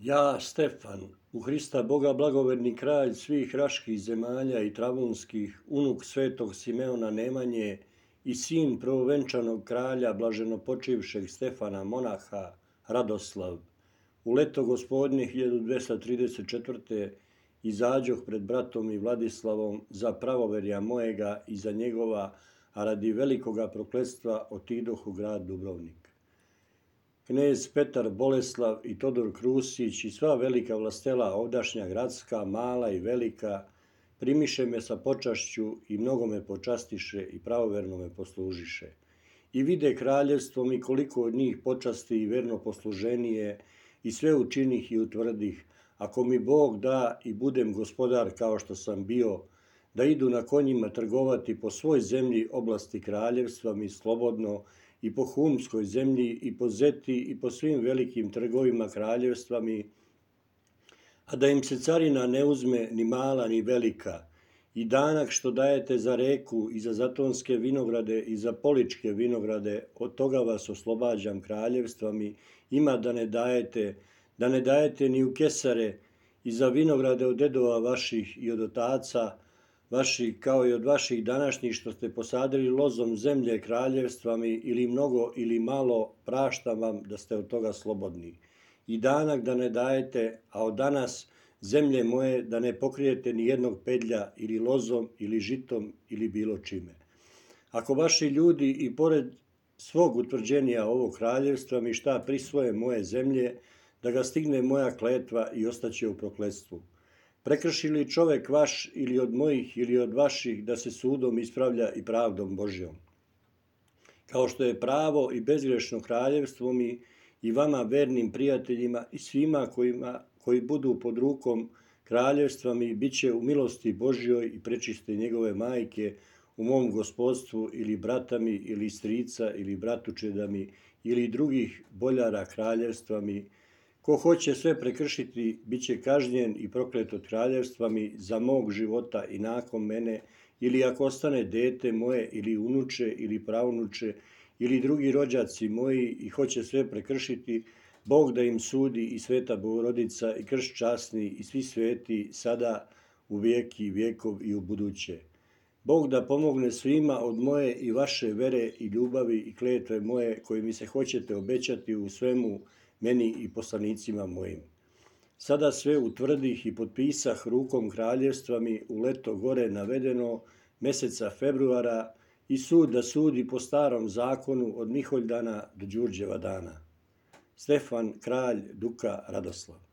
Ja, Stefan, u Hrista Boga blagoverni kralj svih raških zemalja i travunskih, unuk svetog Simeona Nemanje i sin prvovenčanog kralja blaženopočivšeg Stefana monaha Radoslav, u leto gospodnje 1234. izađoh pred bratom i Vladislavom za pravoverja mojega i za njegova, a radi velikoga prokletstva otidoh u grad Dubrovnik. Knez Petar Boleslav i Todor Krusić i sva velika vlastela ovdašnja gradska, mala i velika, primiše me sa počašću i mnogo me počastiše i pravoverno me poslužiše. I vide kraljevstvom i koliko od njih počasti i verno posluženije i sve učinih i utvrdih, ako mi Bog da i budem gospodar kao što sam bio, da idu na konjima trgovati po svoj zemlji oblasti kraljevstva mi slobodno i po Humskoj zemlji i po Zeti i po svim velikim trgovima kraljevstva mi, a da im se carina ne uzme ni mala ni velika, i danak što dajete za reku i za zatonske vinograde i za poličke vinograde, od toga vas oslobađam kraljevstva mi, ima da ne dajete ni u kesare i za vinograde od dedova vaših i od otaca vaših, kao i od vaših današnjih što ste posadili lozom zemlje kraljevstva mi, ili mnogo ili malo, praštam vam da ste od toga slobodni. I danak da ne dajete, a od danas zemlje moje da ne pokrijete ni jednog pedlja ili lozom ili žitom ili bilo čime. Ako vaši ljudi i pored svog utvrđenja ovog kraljevstva mi šta prisvoje moje zemlje, da ga stigne moja kletva i ostaće u prokletstvu. Prekrši li čovek vaš ili od mojih ili od vaših da se sudom ispravlja i pravdom Božjom. Kao što je pravo i bezgrešno kraljevstvo mi i vama vernim prijateljima i svima koji budu pod rukom kraljevstva mi bit će u milosti Božjoj i prečiste njegove majke u mom gospodstvu ili bratami ili strica ili bratučedami ili drugih boljara kraljevstva mi. Ko hoće sve prekršiti, bit će kažnjen i proklet od kraljevstva mi za mog života i nakon mene, ili ako ostane dete moje ili unuče ili pravnuče ili drugi rođaci moji i hoće sve prekršiti, Bog da im sudi i Sveta Bogorodica i Krst časni i svi sveti sada u vijeki vjekov i u buduće. Bog da pomogne svima od moje i vaše vere i ljubavi i kletve moje koji mi se hoćete obećati u svemu meni i poslanicima mojim. Sada sve utvrdih i potpisah rukom kraljevstva mi u leto gore navedeno meseca februara i sud da sudi po starom zakonu od Miholjdana do Đurđeva dana. Stefan, kralj Duka Radoslav.